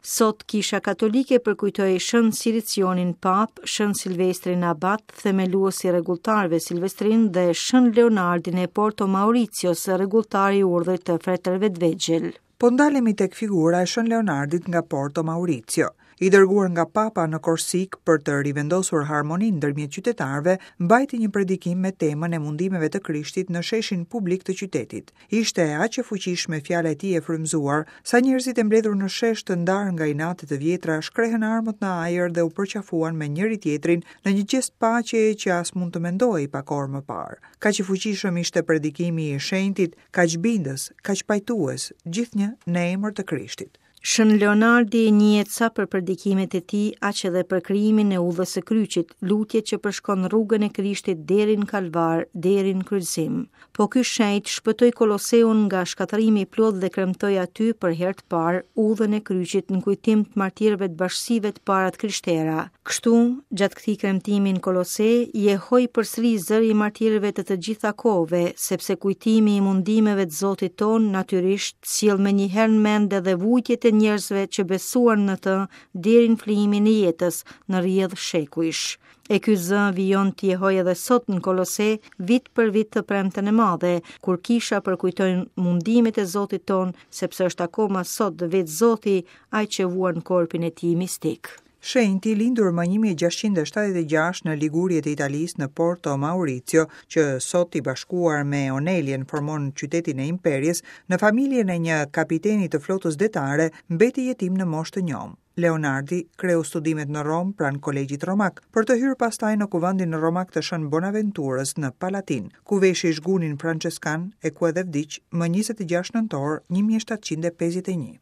Sot Kisha Katolike përkujtoi Shën Siricionin Papë, Shën Silvestrin Abat, themelues i rregulltarëve Silvestrinë dhe Shën Leonardin e Porto Mauricios, rregulltar i urdhrit të fretërve të vegjël. Po ndalemi tek figura e Shën Leonardit nga Porto Maurizio. I dërguar nga Papa në Korsikë për të rivendosur harmoninë ndërmjet qytetarëve, mbajti një predikim me temën e mundimeve të Krishtit në sheshin publik të qytetit. Ishte aq e fuqishme fjala e tij e frymëzuar, sa njerëzit e mbledhur në shesh të ndarë nga inate të vjetra shkrehën armët në ajër dhe u përqafuan me njëri-tjetrin në një gjest paqeje që as mund të mendohej pak orë më parë. Kaq i fuqishëm ishte predikimi i shenjtit, kaq bindës, kaq pajtues, gjithnjë në emër të Krishtit. Shën Leonardi njihet sa për predikimet e tij, aq edhe për krijimin e udhës së kryqit, lutje që përshkon rrugën e Krishtit deri në Kalvar, deri në kryqëzim. Po ky shenjt shpëtoi Koloseun nga shkatërrimi i plotë dhe kremtoi aty për herë të parë udhën e kryqit në kujtim të martirëve të bashkësive të para të krishtera. Kështu, gjatë këtij kremtimi në Kolose, jehoi përsëri zëri i martirëve të të gjitha kohëve, sepse kujtimi i mundimeve të Zotit tonë natyrisht sjell menjëherë në mend edhe vujtjet e njerëzve që besuan në të deri në flijimin e jetës në rrjedhë shekujsh. E ky zë vijon të jehojë edhe sot në Kolose, vit për vit të premten e madhe, kur kisha përkujton mundimet e Zotit tonë, sepse është akoma sot vetë Zoti ai që vuan korpin e tij mistik. Shenjti, lindur më 1676 në Ligurie të Italisë në Porto Maurizio, që sot i bashkuar me Onelien formon qytetin e Imperies, në familjen e një kapiteni të flotës detare, mbeti jetim në moshë të njomë. Leonardi kreu studimet në Romë pranë Kolegjit Romak, për të hyrë pastaj në kuvendin romak të Shën Bonaventurës në Palatin, ku veshi zhgunin françeskan e ku edhe vdiq më 26 nëntor 1751.